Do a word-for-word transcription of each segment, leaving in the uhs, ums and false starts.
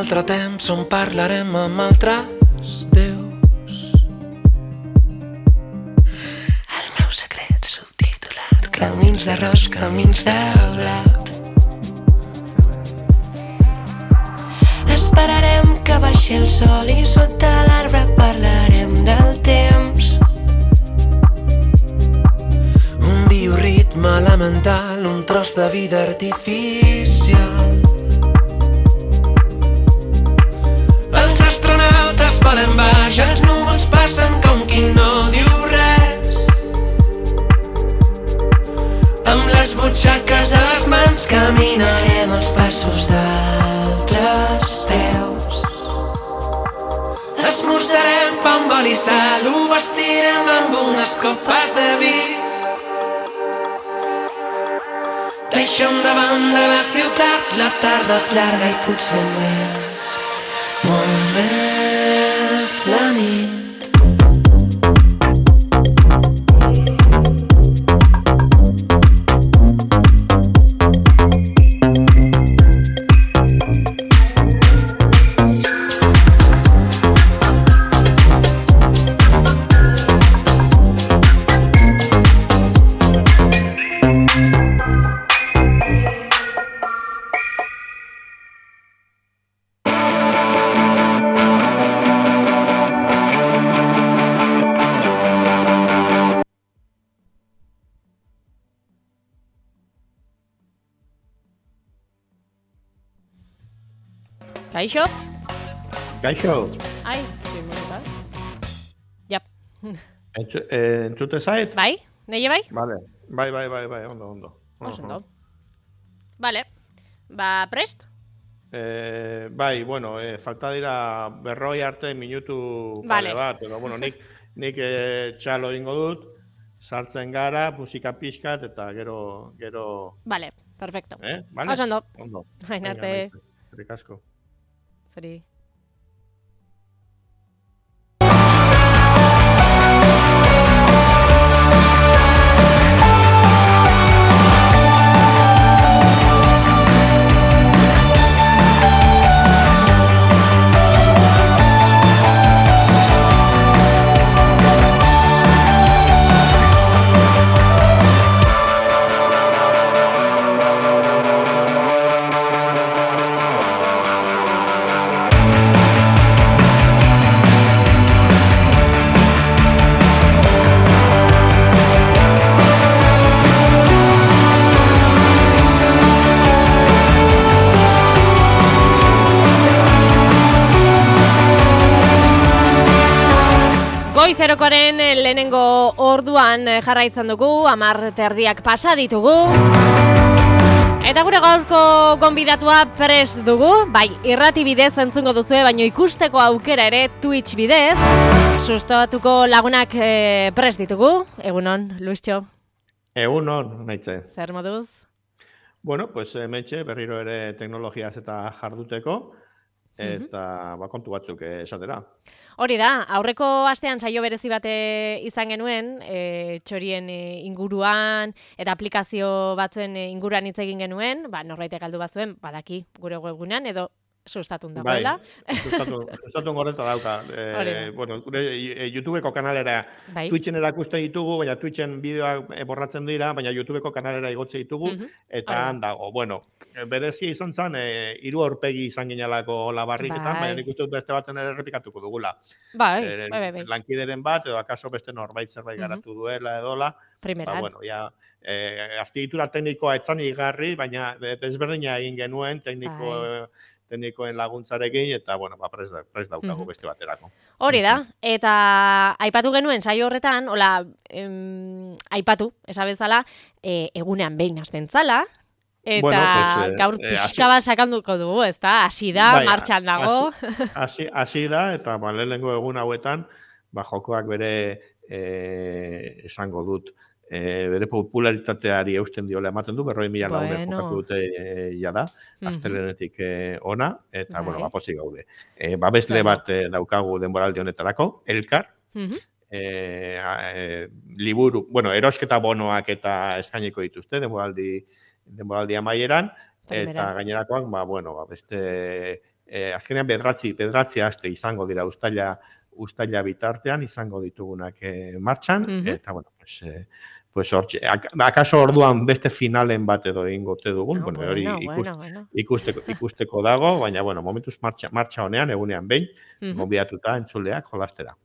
altre temps on parlarem amb altres déus. El meu secret subtitulat, camins d'arròs, camins de blat. Esperarem que baixi el sol i sota l'arbre parlarem del temps. Un bioritme elemental, un tros de vida artificial. Els astronautes volen baix, els núvols passen com qui no diu res. Amb les butxaques a les mans caminarem els passos d'altres peus. Esmorzarem pa amb oli i sal, ho vestirem amb unes copes de vi. Deixem davant de la ciutat, la tarda és llarga i potser més, molt més la nit. Kaixo? Kaixo. Ai, soy minuta. Ja. Entzu, eh, entzute zait? Bai? Neie bai? Vale. Bai, bai, bai, bai, ondo, ondo. Oso ondo. Vale. Ba, prest? Eh, bai, bueno, eh, falta dira berroi arte minutu Vale. pare bat, edo, bueno, nik, nik eh, txalo ingo dut, sartzen gara, musika pixkat, eta gero, gero... Vale, perfecto. Eh? Vale? Oso ondo. Ondo. Hain Venga, arte. maitze. Eskerrik asko. Zuri. Goizerokoaren lehenengo orduan jarraitzen dugu, hamar terdiak pasa ditugu. Eta gure gaurko gonbidatua prest dugu, bai irrati bidez entzungo duzue, baino ikusteko aukera ere Twitch bidez. Sustatuko lagunak e, prest ditugu, egunon, Luistxo. Egunon, naitze. Zer moduz? Bueno, pues hementxe berriro ere teknologiaz eta jarduteko, eta ba, kontu batzuk esatera. Hori da, aurreko astean saio berezi bate izan genuen, e, txorien e, inguruan eta aplikazio batzuen e, inguruan hitz egin genuen, ba, norbaitek galdu bazuen, badaki gure webgunean edo sustatun dagoela. Bai, sustatu, sustatun gorreta dauka. E, bueno, gure e, YouTubeko kanalera, bai. Twitchen erakuste ditugu, baina Twitchen bideoak e, borratzen dira, baina YouTubeko kanalera igotze ditugu, Mhm. eta han dago. Bueno, berezia izan zen, e, hiru aurpegi izan ginelako labarriketan, Bai. baina nik uste dut beste baten ere errepikatuko dugula. Bai, E, bai, bai, bai. Lankideren bat, edo akaso beste norbait zerbait Mhm. garatu duela edola, Primeran. ba, bueno, ja, eh, azpiegitura teknikoa etzan igarri, baina desberdina egin genuen tekniko, Bai. teknikoen laguntzarekin, eta, bueno, ba, prest, prest daukagu Mhm. beste baterako. Hori da, eta aipatu genuen saio horretan, hola, em, aipatu, esabezala, e, egunean behin hasten zala, eta Bueno, pues, eh, gaur eh, pixka bat sakanduko dugu, ezta? Hasi da, Bai, martxan dago. Hasi hasi da, eta ba, lehenengo egun hauetan, ba, jokoak bere eh, esango dut, e, bere popularitateari eusten diola ematen du, berroi mila Bueno. lagunek jokatu dute e, jada, Mhm. astelehenetik e, ona, eta, Bai. bueno, ba, pozik gaude. E, babesle Bueno. bat e, daukagu denboraldi honetarako, Elkar, Mhm. e, a, e, liburu, bueno, erosketa bonoak eta eskainiko dituzte, denboraldi, denboraldi amaieran, eta Primeran. gainerakoak, ba, bueno, ba, beste e, azkenean bedratzi, bedratzi aste izango dira ustaila, ustaila bitartean izango ditugunak e, martxan, Mhm. eta bueno, pues, e, pues hortxe, ak- akaso orduan beste finalen bat edo egingote dugun, Ah, bueno, bueno, hori bueno, ikust, bueno. ikusteko, ikusteko dago, baina bueno, momentuz martxa, martxa honean, egunean behin, Mhm. gonbidatuta entzuleak jolastera.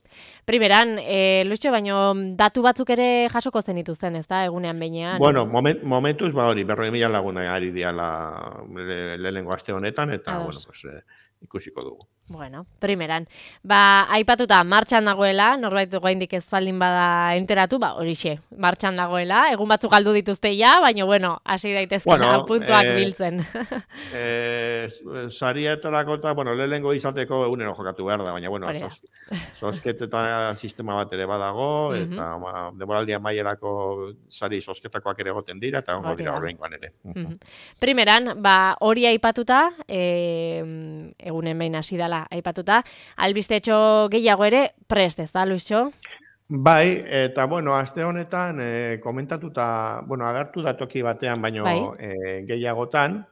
Primeran, e, Luisio, baino datu batzuk ere jasoko zenituzten, ez da, egunean behinean? Bueno, moment, momentuz, ba hori, berroi mila laguna ari diala le- lehenengo aste honetan, eta, Ados. bueno, pues, eh, ikusiko dugu. Bueno, primeran. Ba, aipatuta, martxan dagoela, norbait oraindik ez baldin bada enteratu, ba, horixe, martxan dagoela, egun batzuk galdu dituzte ja, baina, bueno, hasi daitezkela Bueno, puntuak eh, biltzen. Eh, sarietarako eta, bueno, lehenengo izateko egunero jokatu behar da, baina, bueno, Hori da. sos, sosketeta sistema bat ere badago, Mhm. eta ba, denboraldi amaierako sari sosketakoak ere egoten dira, eta ongo Hori dira da. horrengoan ere. Mhm. Primeran, ba, hori aipatuta, e, egunen behin hasi dela aipatuta, albistetxo gehiago ere prest, ez da, Luisio? Bai, eta bueno, aste honetan eh, komentatuta, bueno, agertu da toki batean, baino Bai. eh, gehiagotan,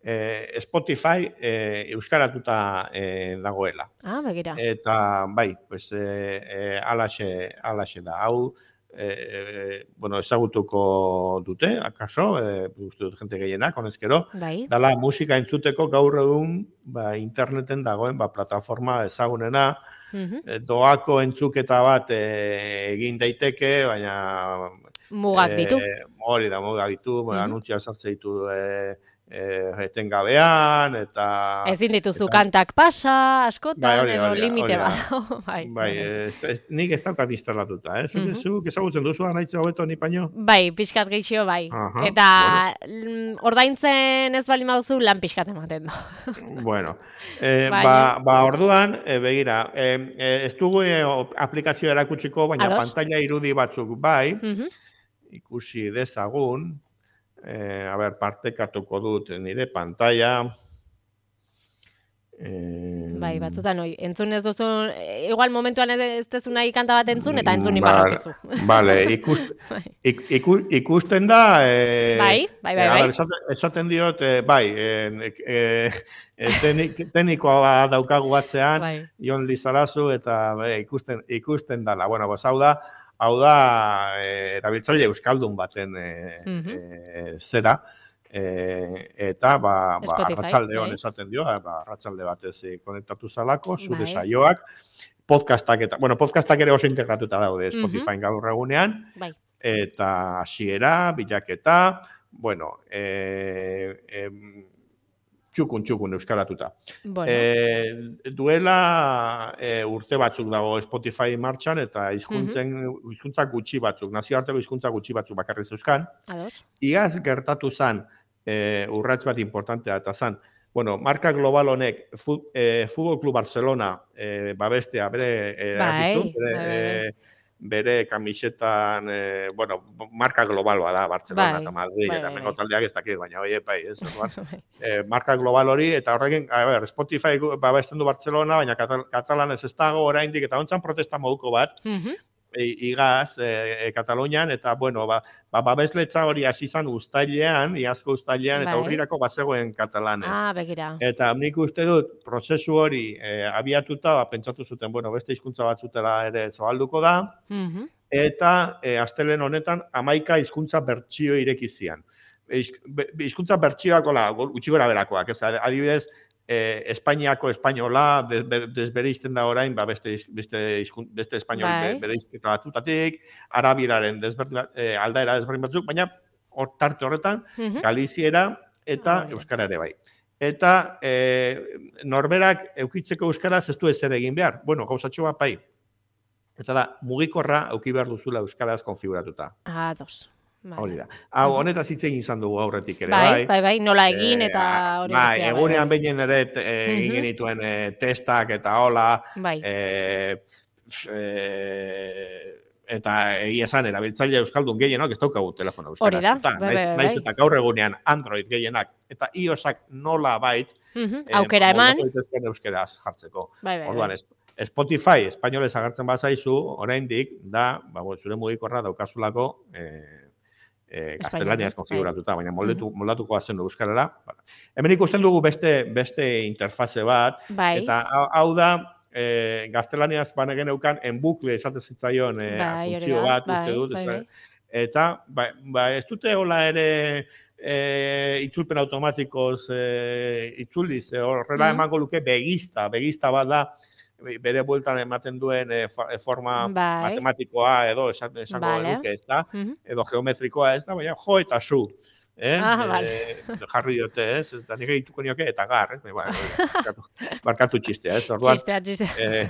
eh, Spotify eh, euskaratuta eh, dagoela. Ah, begira. Eta bai, pues eh, eh, alaxe, alaxe da. Hau, eh, bueno, ezagutuko dute, akaso, eh, uste dut jente gehienak, honezkero, Bai. dala musika entzuteko gaur egun ba, interneten dagoen ba, plataforma ezagunena, Mhm. eh, doako entzuketa bat eh, egin daiteke, baina Mugak ditu. eh, hori da, mugak ditu, Mhm. anuntzia sartze ditu eh, eh, etengabean, eta... Ezin dituzu eta- kantak pasa, Bai, askotan, hori da, edo hori da, limite hori da. bat. bai, Bai, ez, ez, nik ez daukat instalatuta, eh? Zuk, Mhm. zuk ezagutzen duzu anaitze hobeto ni baino? Bai, pixkat gehiago bai. Aha, Eta mm, ordaintzen ez bali baduzu lan pixkat ematen du. Bueno, eh, Baina- ba, ba orduan, eh, begira, eh, eh, ez dugu eh, o- aplikazioa erakutsiko, baina Ados. pantalla irudi batzuk bai, Mhm. ikusi dezagun, eh, a ber, partekatuko dut nire pantalla. Eh, Bai, batzutan hoi, entzun ez duzu, eh, igual momentuan ez duzu nahi kanta bat entzun, eta entzun Vale, inbarrakizu. Vale, ikust, Bai. ik, iku, ikusten da... Eh, Bai, bai, bai, eh, a bai. ber, esaten, esaten diot, eh, bai, eh, eh, eh, tenik, teknikoa daukagu batzean, Bai. Jon Lizarazu, eta eh, ikusten, ikusten dala. Bueno, pues, hau da, hau da, eh, erabiltzaile euskaldun baten eh, Mhm. eh, zera, eh, eta ba, ba Spotify, arratsalde hon bai. esaten dio, ba, arratsalde batez eh, konektatu zalako, zure Bai. saioak, podcastak eta, bueno, podcastak ere oso integratuta daude Mhm. Spotify gaur egunean, Bai. eta hasiera, bilaketa, bueno, eh, em, txukun, txukun euskaratuta. Bueno, Eh, duela eh, urte batzuk dago Spotify martxan, eta hizkuntzen Mhm. hizkuntza gutxi batzuk, nazioarteko hizkuntza gutxi batzuk bakarrik zeuzkan. ados. Iaz gertatu zan, eh, urrats bat importantea eta zan, bueno, marka global honek fu, eh, Futbol Club Barcelona eh, babestea bere eh, Bai, erakizu, bere, bai, bai, bai. eh, bere kamisetan, eh, bueno, marka global bada Barcelona Bai, eta Madrid, bai, eta bai, mengo bai. taldeak ez dakit, baina oie, bai, ez, orduan, Bai. eh, marka global hori, eta horrekin, a ber, Spotify gu- babesten du Barcelona, baina katal, katalanez ez dago oraindik, eta hontzan protesta moduko bat, Mhm. i- igaz, e, e, Katalunian, eta, bueno, ba, ba, babesletza hori hasi zan ustailean, iazko ustailean, eta Bai. urrirako bazegoen katalanez. Ah, begira. Eta nik uste dut, prozesu hori e, abiatuta, ba, pentsatu zuten, bueno, beste hizkuntza batzutela ere zoalduko da, Mhm. eta e, astelen honetan hamaika hizkuntza bertsio ireki zian. Hizk- be- Hizkuntza bertsioak, hola, go- gutxi gora berakoak, ez, adibidez, eh, Espainiako espainola des- be- desbereizten da orain, ba, beste, hizk- beste, hizkun- beste espainol Bai. be- bereizketa batutatik, arabieraren desberdin, bat- eh, aldaera desberdin batzuk, baina hor tarte horretan, Mhm. galiziera eta Ah, hori da. euskara ere bai. Eta eh, norberak eukitzeko euskaraz ez du ezer egin behar. Bueno, gauzatxo bat bai. Eta da, mugikorra euki behar duzula euskaraz konfiguratuta. Ados. Vale. Hori da. Hau, Mhm. honetaz hitz egin izan dugu aurretik ere, Bai, bai. bai, bai, nola egin Eh, eta hori bai, guztia, egunean bai, behinen ere te- eh, egin Mhm. genituen eh, testak eta hola, bai. eh, f- eh, eta egia esan, erabiltzaile euskaldun gehienok ez daukagu telefono Hori da, euskaraz. bai, Naiz, bai, naiz bai. eta gaur egunean Android gehienak eta iOSak nola bait Mhm. Aukera eman. daitezken euskeraz jartzeko. Bai, bai, Orduan, bai. es- Spotify espainolez agertzen bazaizu, oraindik da, ba, bueno, zure mugikorra daukazulako eh, e, Espainiarez, gaztelaniaz bai. konfiguratuta, baina moldetu, moldatuko bazen du euskarara. Hemen ikusten dugu beste beste interfaze bat, Bai, eta hau, hau da, e, gaztelaniaz banegen eukan enbukle esate zitzaion e, bai, hori funtzio da, bat, uste bai, dut, bai, ez- bai. eta ba, ba, ez dute hola ere e, itzulpen automatikoz e, itzuliz, e, horrela Mm. emango luke begista, begista bat da, bere bueltan ematen duen e, fa- e, forma Bai, matematikoa edo esan, esango vale. genuke, ez da, Mhm. edo geometrikoa ez da, baina jo eta zu. Eh? Ah, vale. Eh, jarri diote, ez? Eta nire dituko nioke, eta gar, ez? Ba, barkatu, barkatu txistea, ez? Orduan, Txistea, txistea. eh,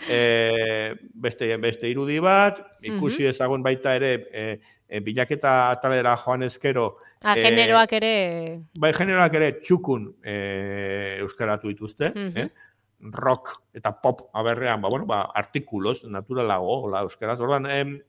eh, beste, beste irudi bat, ikusi ezagun baita ere, eh, eh, bilaketa atalera joan ezkero, Ah, eh, generoak ere... bai generoak ere txukun eh, euskaratu dituzte, Mhm. eh? Rock eta pop aberrean, ba, bueno, ba, artikulos, naturalago, hola, euskaraz. Orduan, em,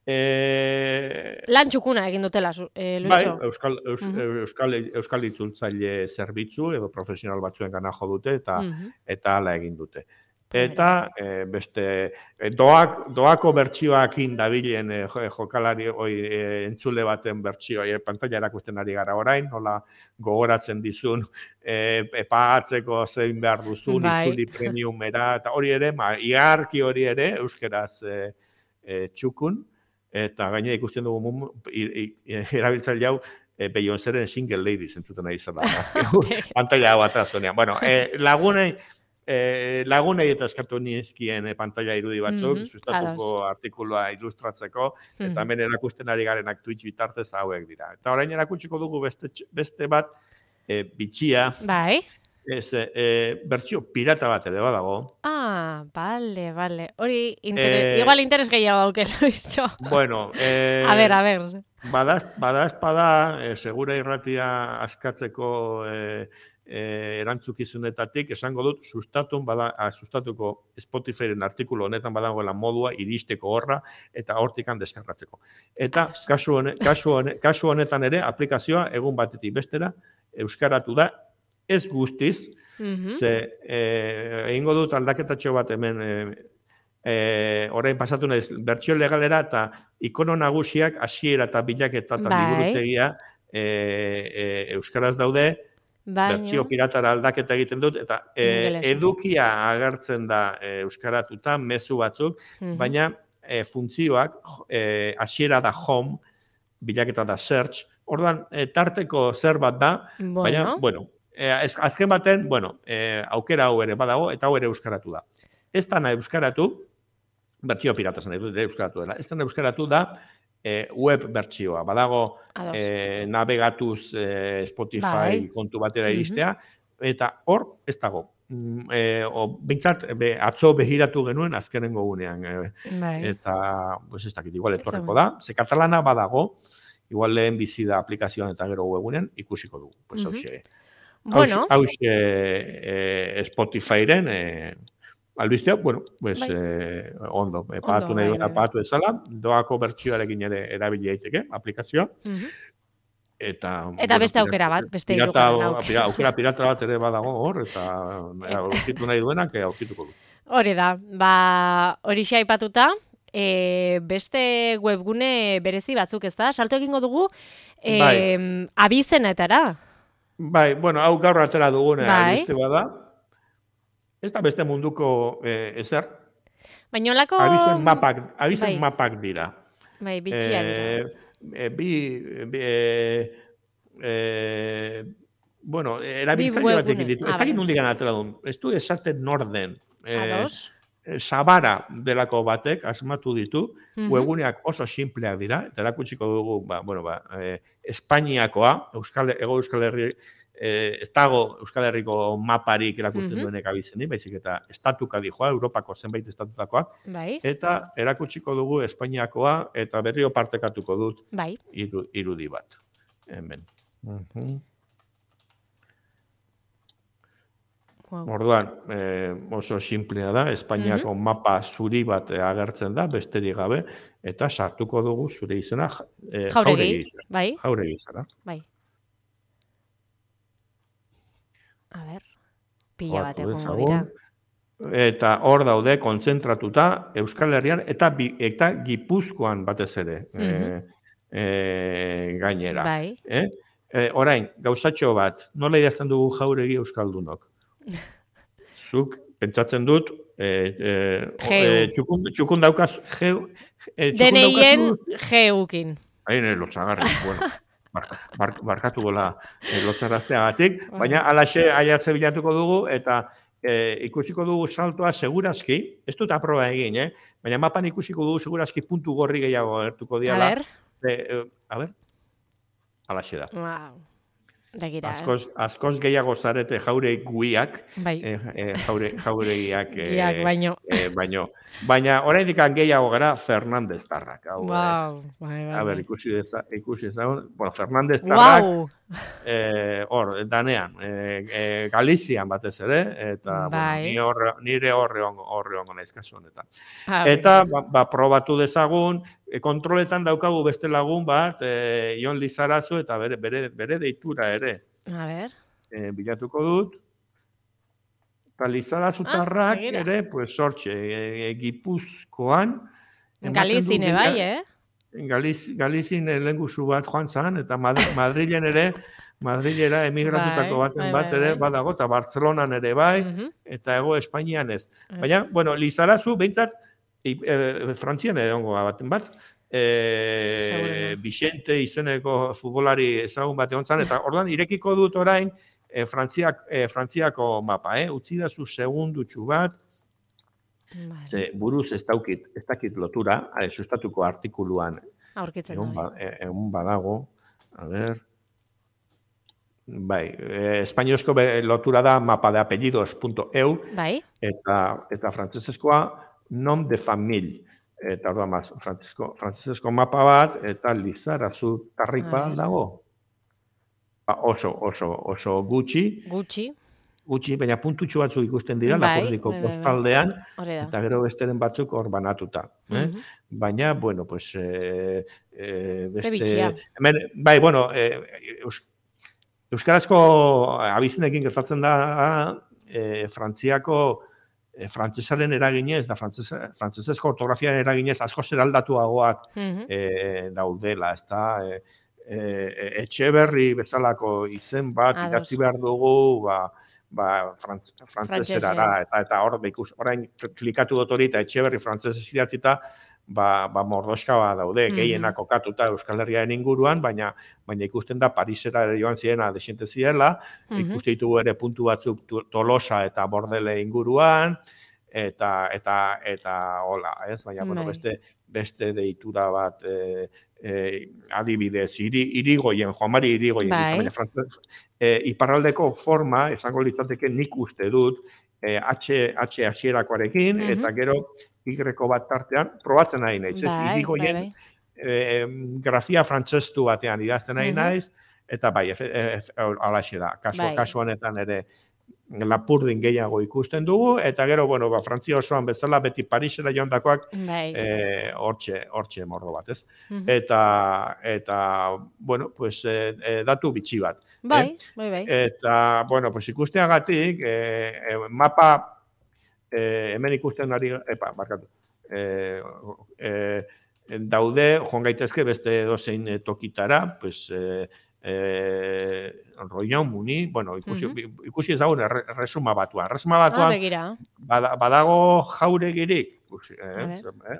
eh, Lan txukuna egin dutela, zu- eh, bai, Lucho. euskal, eus, Mhm. euskal, euskal itzultzaile zerbitzu edo profesional batzuen gana jo dute eta Mhm. eta hala egin dute. Pues Eta eh, beste eh, doak, doako bertsioakin dabilen eh, jo- jokalari oi, eh, entzule baten bertsioa eh, pantalla erakusten ari gara orain, nola gogoratzen dizun eh, e, pagatzeko zein behar duzun, Bai. itzuli premiumera, eta hori ere, ma, iarki hori ere, euskeraz eh, eh, txukun, eta gainera ikusten dugu mum, i- i- erabiltzaile hau e, Beyoncéren single lady zentzuten nahi izan da. Azken pantalla hau atera zuenean. Bueno, e, lagunei, e, lagunei eta eskatu nizkien e, pantalla irudi batzuk, Mhm, sustatuko ados. artikulua ilustratzeko, eta Mhm. hemen erakusten ari garenak Twitch bitartez hauek dira. Eta orain erakutsiko dugu beste, tx- beste bat, e, bitxia, Bai. ez, e, bertsio pirata bat ere badago. Ah, vale, vale. Hori, interes, Eh, igual interes gehiago dauke, Lucho. Bueno, eh, A ver, a ver. Bada, bada espada, e, segura irratia askatzeko e, e, erantzukizunetatik, esango dut, sustatun bada, a, sustatuko Spotifyren artikulu honetan badagoela modua iristeko horra eta hortikan deskargatzeko. Eta Ados. kasu, hone, kasu, hone, kasu honetan ere, aplikazioa egun batetik bestera, euskaratu da, ez guztiz, Mhm. ze e, egingo dut aldaketatxo bat hemen e, e, orain pasatu naiz bertsio legalera eta ikono nagusiak hasiera eta bilaketa eta Bai. liburutegia e, e, euskaraz daude, bertsio Baina, piratara aldaketa egiten dut eta e, Ingelesa. edukia agertzen da e, euskaratuta mezu batzuk, Mhm. baina e, funtzioak e, hasiera da home, bilaketa da search. Orduan e, tarteko zer bat da, baina bueno, bueno, e, ez- azken baten, bueno, e, aukera hau ere badago eta hau ere euskaratu da. Ez da nahi euskaratu, bertsio pirata zen dut euskaratu dela. Ez da euskaratu da e, web bertsioa. Badago ados. e, navegatuz e, Spotify Bai. kontu batera Mhm. iristea, eta hor ez dago. Mm, E, o, bintzat, be, atzo behiratu genuen azkenengo gunean. E, Bai. eta, pues ez dakit, igual Ez etorreko dago. da. Ze katalana badago, igual lehen bizi da aplikazioan eta gero webunean, ikusiko dugu. Pues Mhm. hauxe. Bueno, Hauxe e, Spotifyren e, albistea, bueno, pues, Bai. eh, ondo, eh, pagatu Ondo, nahi bai, duena bai, bai. pagatu ezala, doako bertsioarekin ere erabili daiteke aplikazioa, Mhm. eta... Eta beste aukera bat, beste hirugarren aukera. Pirata, aukera pirata bat ere badago hor, eta Eta- aurkitu nahi duenak, eh, aurkituko du. Hori da, ba, hori aipatuta, e, beste webgune berezi batzuk, ez da? Salto egingo dugu, e, Bai. abizenetara. Bai, bueno, hau gaur atera duguna Bai. albiste bada, ez da beste munduko eh, ezer, Baina olako... abizen mapak, abizen bai, mapak dira. bai, bitxia dira. Eh, bi, bi eh, eh, bueno, erabiltzaile webgune. batekin ditu. Ah, Ez dakit vale. nondik atera duen. Ez du esaten norden. Eh, Ados. eh, Sabara delako batek asmatu ditu, Mhm. webguneak oso simpleak dira, eta erakutsiko dugu, ba, bueno, ba, eh, Espainiakoa, Euskal, Ego Euskal Herri, eh, ez dago Euskal Herriko maparik erakusten Mhm. duenek abizenik, baizik eta estatuka dijoa, Europako zenbait estatutakoa, Bai, eta erakutsiko dugu Espainiakoa, eta berrio partekatuko dut bai. iru, irudi bat. Hemen. Mhm. Wow. Orduan, eh, oso simplea da, Espainiako mapa zuri bat eh, agertzen da, besterik gabe, eta sartuko dugu zure izena ja- eh, Jauregi, jauregi izena. bai, Jauregi izena. bai. A ber, pila bat Ohartu egongo dira. dezagun. Eta hor daude kontzentratuta Euskal Herrian eta bi, eta Gipuzkoan batez ere. Mhm. Eh, e, gainera. Bai. Eh? E, orain, gauzatxo bat, nola idazten dugu Jauregi euskaldunok? Zuk, pentsatzen dut, e, e, e, txukun, txukun daukaz, geu, e, txukun Deneien daukazu... geukin. Hain, lotzagarri, bueno, bark, bark, barkatu gola e, lotzarazteagatik, baina alaxe aiatze bilatuko dugu, eta e, ikusiko dugu saltoa segurazki, ez dut aproba egin, eh? Baina mapan ikusiko dugu segurazki puntu gorri gehiago gertuko diala. A ber. E, e, a ber, alaxe da. Wow. Begira, Askoz, askoz gehiago zarete jaure guiak, bai. eh, eh, jaure, jauregiak, eh, Giak baino. Eh, baino. Baina oraindik gehiago gara Fernandez tarrak. Hau, Wow. eh, Bai, bai, a ber, bai. ikusi deza, ikusi ezagun, bueno, Fernandez tarrak, Wow. eh, hor, danean, eh, eh, Galizian batez ere, eta, Bai. bueno, ni horre, nire horre ongo, horre ongo naiz kasu honetan. Ah, Eta, ba, ba, probatu dezagun, e, kontroletan daukagu beste lagun bat, e, Ion Lizarazu, eta bere, bere, bere deitura ere. A ber. E, bilatuko dut. Eta Lizarazutarrak Ah, ere, pues, sortxe, e, e, Gipuzkoan. Galizine bai, eh? Galiz, Galizin lehenguzu bat joan zan, eta Madrilen ere, Madrilera emigratutako bai, baten bai, bat bai, ere bai. badago, eta Bartzelonan ere bai, Uh -huh. eta Hego Espainian ez. Baina, bueno, Lizarazu, behintzat, e, e, Frantzian egongo baten bat, e, Vicente izeneko futbolari ezagun bat egon zan, eta orduan irekiko dut orain e, Frantziak, e, Frantziako mapa, eh? Utzi da zu segundutxu bat, Vale. ze buruz ez daukit, ez dakit lotura, ale, sustatuko artikuluan Aurkitzen egun, da. ba, e, egun badago, a ver, bai, e, espainiozko lotura da mapa de apellidos punto e u, Bai. eta, eta frantzesezkoa nom de famille. Eta orduan maz, frantzesezko mapa bat, eta Lizarazu tarripa dago. Ba, oso, oso, oso gutxi. Gutxi. Gutxi, baina puntutxu batzuk ikusten dira, bai, Lapurdiko bai, bai, postaldean, bai. eta gero besteren batzuk hor banatuta. Eh? Uh -huh. Baina, bueno, pues, eh, eh, beste... Hemen, bai, bueno, eh, eus, euskarazko abizenekin gertatzen da, eh, Frantziako E, frantzesaren eraginez, da frantzesezko ortografiaren eraginez asko zeraldatuagoak uh -huh. e, daudela, ez da, e, e, Etxeberri bezalako izen bat Ados. idatzi behar dugu, ba, ba frantz, frantzesera, eta, eta hor, ikus, orain klikatu dut hori, eta Etxeberri frantzesez idatzita, ba, ba mordoska bat daude, uh-huh. gehienak kokatuta Euskal Herriaren inguruan, baina baina ikusten da Parisera ere joan zirena desente zirela, uh-huh. ikuste ditugu ere puntu batzuk Tolosa eta Bordele inguruan, eta eta eta hola, ez? Baina, bueno, beste beste deitura bat e, e, adibidez, iri, irigoien, Juan Mari Irigoien, bai. baina frantzez, e, iparraldeko forma, esango litzateke nik uste dut, e, H, H hasierakoarekin, uh-huh. eta gero Y bat tartean, probatzen nahi naiz, ez? Bai, Irigoien bai, bai. E, grafia frantzestu batean idazten nahi uh-huh. naiz, eta bai, e, e, alaxe da, kasu, bai. kasu honetan ere Lapurdin gehiago ikusten dugu, eta gero, bueno, ba, Frantzia osoan bezala, beti Parisera joandakoak, bai. e, hortxe, hortxe mordo bat, ez? Uh-huh. Eta, eta, bueno, pues, e, e, datu bitxi bat. Bai, eh? bai, bai. Eta, bueno, pues, ikusteagatik, e, e, mapa, e, hemen ikusten ari, epa, barkatu, e, e, daude, joan gaitezke beste dozein tokitara, pues, e, eh, Roion Muni, bueno, ikusi, uh-huh. ikusi ezagun erresuma batuan. Erresuma batuan ah, bada, badago jauregirik. Ikusi, eh, eh?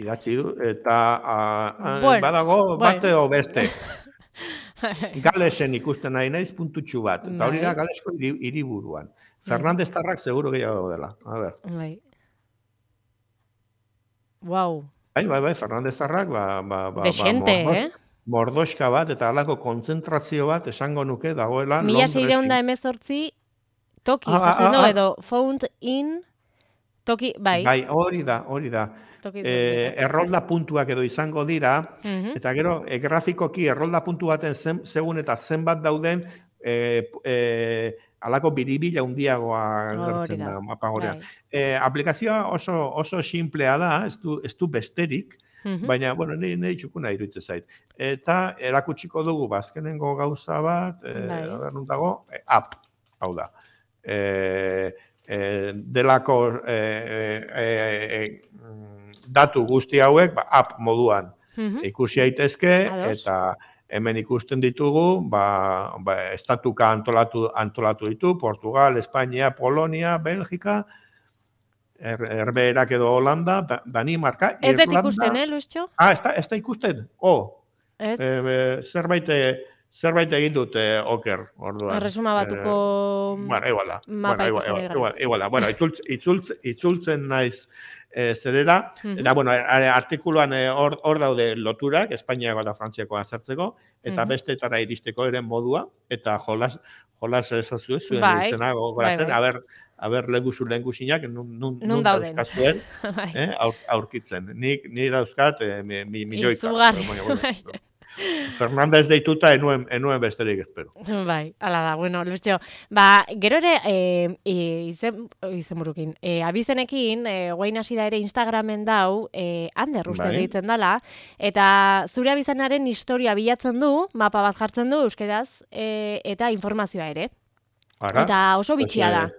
Idatzi du, eta a, bueno, badago bate bueno. o beste. Galesen ikusten nahi naiz puntutxu bat. Eta hori da Galesko hiriburuan. Fernandez Tarrak seguro gehiago dela. A ber. Bai. Wow. Bai, bai, bai, Fernandez Tarrak, ba, ba, ba, Desente, ba, mordos, eh? mordoska bat, eta halako kontzentrazio bat esango nuke dagoela Mila seireun da emezortzi toki, ah, jartzen ah, ah, edo found in toki, bai. Bai, hori da, hori da. E, errolda puntuak edo izango dira, uh-huh. eta gero, e, grafikoki errolda puntu baten zen, segun eta zenbat dauden, e, e, alako biribila hundiagoa gertzen da, mapa horrean. E, aplikazioa oso, oso simplea da, ez du, ez du besterik, uh-huh. baina, bueno, nire, nire txukuna iruditzen zait. Eta erakutsiko dugu, bazkenengo gauza bat, e, bai. dago, e, app, hau da. E, e, delako e, e, e, datu guzti hauek ba, app moduan Mhm. ikusi daitezke Ados. eta hemen ikusten ditugu, ba, ba, estatuka antolatu, antolatu ditu, Portugal, Espainia, Polonia, Belgika, er, Herbeherak edo Holanda, da, Danimarka, Ez dut Irlanda. ikusten, eh, Luistxo? Ah, ez da, ez da ikusten? Oh, Ez, e, zerbait, zerbait egin dut eh, oker, orduan. erresuma batuko Eh, bueno, igual da. mapa Bueno, igual, ikusten ari igual, gara. igual, igual da. Bueno, itzultz, itzultz, itzultzen naiz eh, zerera, Mhm. eta, bueno, a- artikuluan eh, hor hor daude loturak, Espainiako eta Frantziako azertzeko, eta Mhm. bestetara iristeko eren modua, eta jolas, jolas ezazu ez, zuen Bai, izena gogoratzen, bai, bai. aber, aber leguzu lehengusinak, nun, nun, Nun nun dauden. dauzkazuen, Bai. eh, aur, aurkitzen. Nik, ni dauzkat, eh, mi, mi, milioika. Izugarri, Baina, bueno, bai. no. Fernandez deituta enuen, enuen besterik espero. Bai, ala da, bueno, Luistxo, ba, gero ere, e, e, izen, izen burukin, e, abizenekin, e, guain hasi da ere Instagramen dau, e, Ander uste Bai. deitzen dala, eta zure abizenaren historia bilatzen du, mapa bat jartzen du euskeraz, e, eta informazioa ere. Ara, Eta oso pues, bitxia da. eh,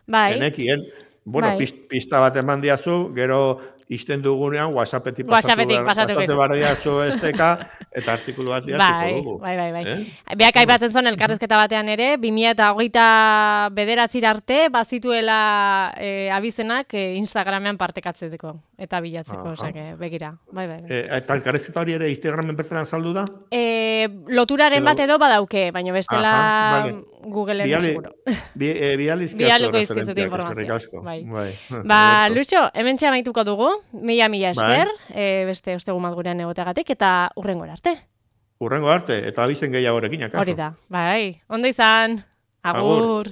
Bai, Genekien, bueno, Bai. pist, pista bat eman diazu, gero izten dugunean WhatsAppetik pasatu, WhatsAppetik behar- pasatuko pasatu izu. behar diazu esteka, eta artikulu bat bai, diatziko dugu. bai, bai, bai. Eh? Beak aipatzen zuen elkarrezketa batean ere, bi mila hogeita bederatzira arte, bazituela e, abizenak e, Instagramean partekatzeko eta bilatzeko, Aha. osake, begira. Bai, bai, bai. Eh, eta elkarrezketa hori ere Instagramen bertan saldu da? E, loturaren Edo- bat edo badauke, baina bestela Aha, vale. Googleen Biali- seguro. Bi, eh, bializkiazu Bialiko izkizut referentziak, informazioa. eskerrik asko. Bai. Bai. Ba, Perfecto. Luxo, hemen amaituko dugu, mila mila esker, Bai. e, beste ostegu bat gurean egoteagatik, eta urrengora arte. Urrengo arte, eta abizen gehiagorekin, akaso. Hori da, bai, ondo izan, Agur. agur.